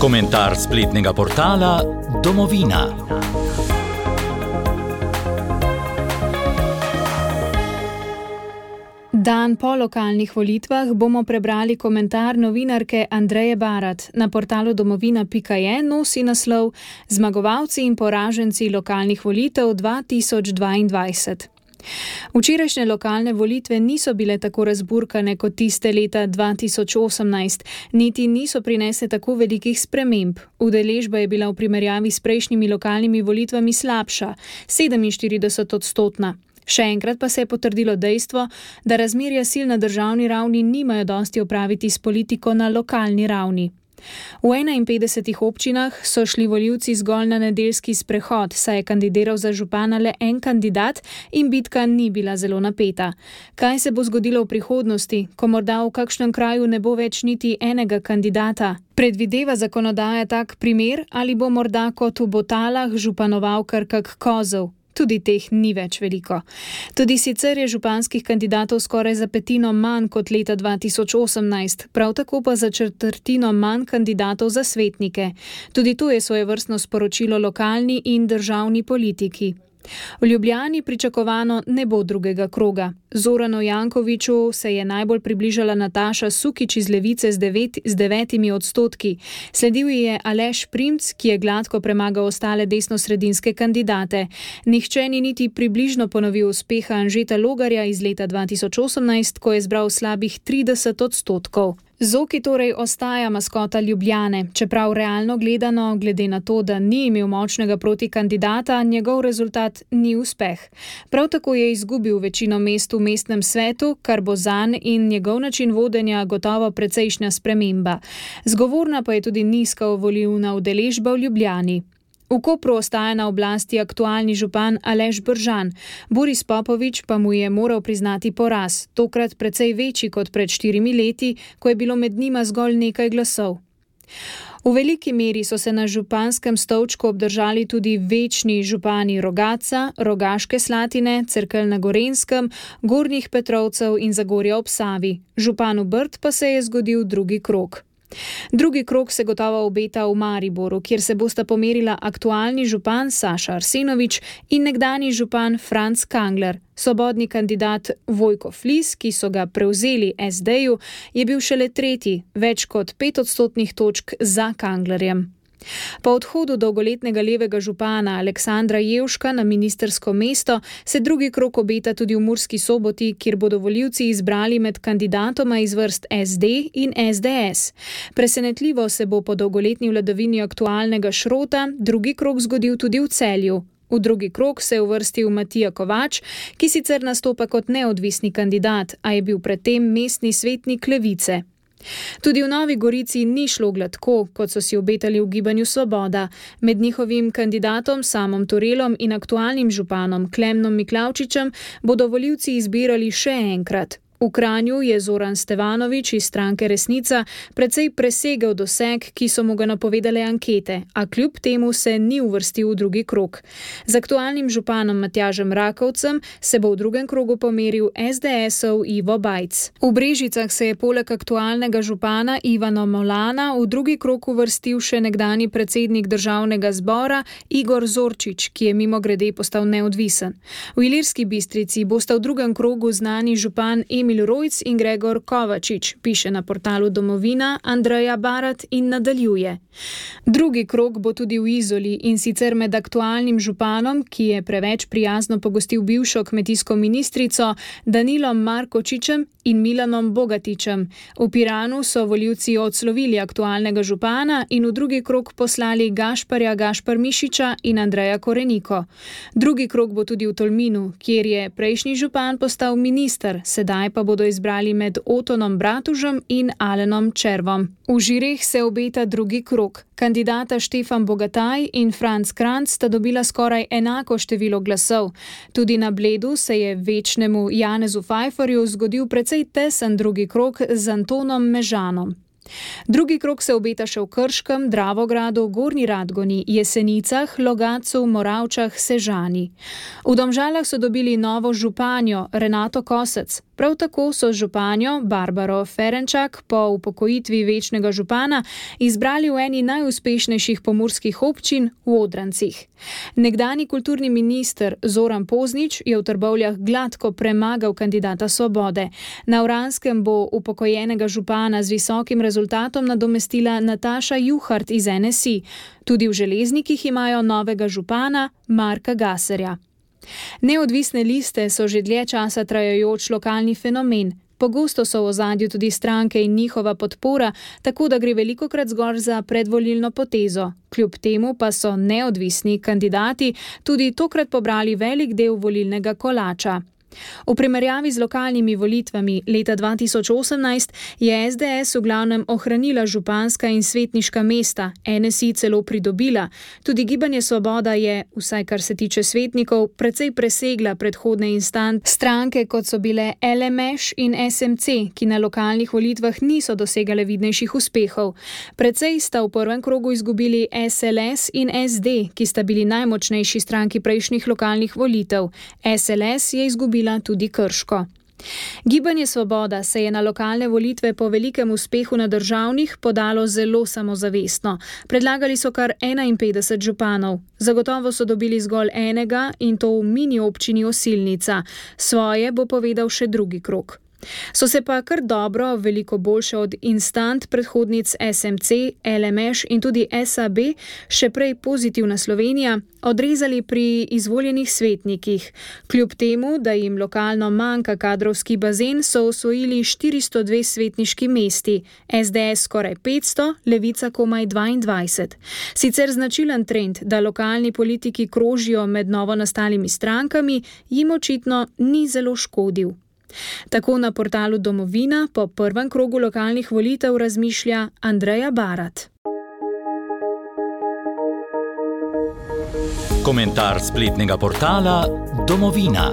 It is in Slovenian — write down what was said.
Komentar spletnega portala Domovina. Dan po lokalnih volitvah bomo prebrali komentar novinarke Andreje Barat. Na portalu domovina.je nosi naslov Zmagovalci in poraženci lokalnih volitev 2022. Včerajšnje lokalne volitve niso bile tako razburkane kot tiste leta 2018, niti niso prinesle tako velikih sprememb. Udeležba je bila v primerjavi s prejšnjimi lokalnimi volitvami slabša, 47%. Še enkrat pa se je potrdilo dejstvo, da razmerja sil na državni ravni nimajo dosti opraviti s politiko na lokalni ravni. V 51 občinah so šli volivci zgolj na nedeljski sprehod, saj je kandidiral za župana le en kandidat in bitka ni bila zelo napeta. Kaj se bo zgodilo v prihodnosti, ko morda v kakšnem kraju ne bo več niti enega kandidata? Predvideva zakonodaja tak primer ali bo morda kot v Botalah županoval kar kak kozel? Tudi teh ni več veliko. Tudi sicer je županskih kandidatov skoraj za petino manj kot leta 2018, prav tako pa za četrtino manj kandidatov za svetnike. Tudi to je svojevrstno sporočilo lokalni in državni politiki. V Ljubljani pričakovano ne bo drugega kroga. Zoranu Jankoviću se je najbolj približala Nataša Sukič iz Levice z 9%. Sledil je Aleš Primc, ki je gladko premagal ostale desnosredinske kandidate. Nihče ni niti približno ponovil uspeha Anžeta Logarja iz leta 2018, ko je zbral slabih 30%. Zoki torej ostaja maskota Ljubljane, čeprav realno gledano, glede na to, da ni imel močnega protikandidata, njegov rezultat ni uspeh. Prav tako je izgubil večino mest v mestnem svetu, kar bo zanj in njegov način vodenja gotovo precejšnja sprememba. Zgovorna pa je tudi nizka volilna udeležba v Ljubljani. V Kopru ostaja na oblasti aktualni župan Aleš Bržan. Boris Popovič pa mu je moral priznati poraz, tokrat precej večji kot pred 4 leti, ko je bilo med njima zgolj nekaj glasov. V veliki meri so se na županskem stolčku obdržali tudi večni župani Rogatca, Rogaške Slatine, Cerkelj na Gorenjskem, Gornjih Petrovcev in Zagorja ob Savi. Županu Brd pa se je zgodil drugi krog. Drugi krog se gotovo obeta v Mariboru, kjer se bosta pomerila aktualni župan Saša Arsenovič in nekdanji župan Franc Kangler. Svobodni kandidat Vojko Flis, ki so ga prevzeli SD-ju, je bil šele tretji, več kot 5% točk za Kanglerjem. Po odhodu dolgoletnega levega župana Aleksandra Jevška na ministrsko mesto se drugi krog obeta tudi v Murski Soboti, kjer bodo volivci izbrali med kandidatoma iz vrst SD in SDS. Presenetljivo se bo po dolgoletni vladavini aktualnega Šrota drugi krog zgodil tudi v Celju. V drugi krog se je uvrstil Matija Kovač, ki sicer nastopa kot neodvisni kandidat, a je bil predtem mestni svetnik Levice. Tudi v Novi Gorici ni šlo gladko, kot so si obetali v Gibanju Svoboda. Med njihovim kandidatom Samom Turelom in aktualnim županom Klemnom Miklavčičem bodo volivci izbirali še enkrat. V Kranju je Zoran Stevanović iz stranke Resnica precej presegel doseg, ki so mu ga napovedale ankete, a kljub temu se ni uvrstil v drugi krog. Z aktualnim županom Matjažem Rakovcem se bo v drugem krogu pomeril SDS-ov Ivo Bajc. V Brežicah se je poleg aktualnega župana Ivana Molana v drugi krog uvrstil še nekdanji predsednik državnega zbora Igor Zorčič, ki je mimogrede postal neodvisen. V Ilirski Bistrici bosta v drugem krogu znani župan Emil Rojc in Gregor Kovačič, piše na portalu Domovina Andreja Barat in nadaljuje. Drugi krog bo tudi v Izoli in sicer med aktualnim županom, ki je preveč prijazno pogostil bivšo kmetijsko ministrico Danilom Markočičem in Milanom Bogatičem. V Piranu so volivci odslovili aktualnega župana in v drugi krog poslali Gašpar Mišiča in Andreja Koreniko. Drugi krog bo tudi v Tolminu, kjer je prejšnji župan postal minister, sedaj pa bodo izbrali med Otonom Bratužem in Alenom Červom. V Žireh se obeta drugi krog. Kandidata Štefan Bogataj in Franc Kranc sta dobila skoraj enako število glasov. Tudi na Bledu se je večnemu Janezu Fajfarju zgodil precej tesen drugi krog z Antonom Mežanom. Drugi krog se obeta še v Krškem, Dravogradu, Gornji Radgoni, Jesenicah, Logatcu, Moravčah, Sežani. V Domžalah so dobili novo županjo Renato Kosec. Prav tako so županjo Barbaro Ferenčak po upokojitvi večnega župana izbrali v eni najuspešnejših pomurskih občin v Odrancih. Nekdanji kulturni minister Zoran Poznič je v Trbovljah gladko premagal kandidata Svobode. Na Vranskem bo upokojenega župana z visokim rezultatom nadomestila Nataša Juhart iz NSI. Tudi v Železnikih imajo novega župana Marka Gaserja. Neodvisne liste so že dlje časa trajajoč lokalni fenomen. Pogosto so v ozadju tudi stranke in njihova podpora, tako da gre velikokrat zgolj za predvolilno potezo. Kljub temu pa so neodvisni kandidati tudi tokrat pobrali velik del volilnega kolača. V primerjavi z lokalnimi volitvami leta 2018 je SDS v glavnem ohranila županska in svetniška mesta, NSI celo pridobila. Tudi Gibanje Svoboda je, vsaj kar se tiče svetnikov, precej presegla predhodne instance stranke, kot so bile LMŠ in SMC, ki na lokalnih volitvah niso dosegale vidnejših uspehov. Precej sta v prvem krogu izgubili SLS in SD, ki sta bili najmočnejši stranki prejšnjih lokalnih volitev. SLS je izgubila tudi Krško. Gibanje Svoboda se je na lokalne volitve po velikem uspehu na državnih podalo zelo samozavestno. Predlagali so kar 51 županov. Zagotovo so dobili zgolj enega in to v mini občini Osilnica. Svoje bo povedal še drugi krog. So se pa kar dobro, veliko boljše od instant predhodnic SMC, LMŠ in tudi SAB, še prej Pozitivna Slovenija, odrezali pri izvoljenih svetnikih. Kljub temu, da jim lokalno manjka kadrovski bazen, so osvojili 402 svetniški mesti, SDS skoraj 500, Levica komaj 22. Sicer značilen trend, da lokalni politiki krožijo med novo nastalimi strankami, jim očitno ni zelo škodil. Tako na portalu Domovina po prvem krogu lokalnih volitev razmišlja Andreja Barat. Komentar spletnega portala Domovina.